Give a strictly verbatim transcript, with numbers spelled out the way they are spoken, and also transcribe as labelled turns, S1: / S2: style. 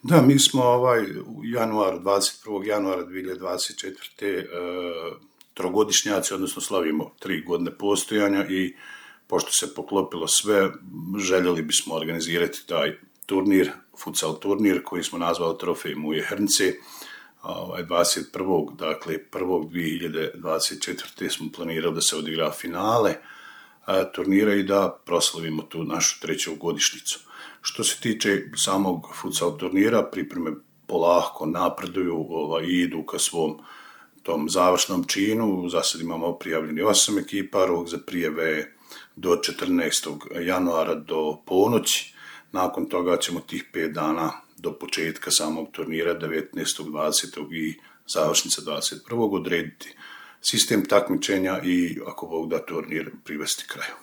S1: Da, mi smo ovaj, u januaru, dvadeset prvog januara dvije hiljade dvadeset četvrte. E, trogodišnjaci, odnosno slavimo tri godine postojanja i pošto se poklopilo sve, željeli bismo organizirati taj turnir, futsal turnir koji smo nazvali Trofej Muje Hrnce. Ovaj, dvadeset prvog dakle prvog dvije hiljade dvadeset četvrte smo planirali da se odigra finale a, turnira i da proslavimo tu našu treću godišnjicu. Što se tiče samog futsal turnira, pripreme polako napreduju ovaj, i idu ka svom tom završnom činu. Za sad imamo prijavljeni osam ekipa, rok za prijave do četrnaestog januara do ponoći. Nakon toga ćemo tih pet dana do početka samog turnira, devetnaestog, dvadesetog i završnica dvadeset prvog odrediti sistem takmičenja i ako Bog da turnir privesti kraju.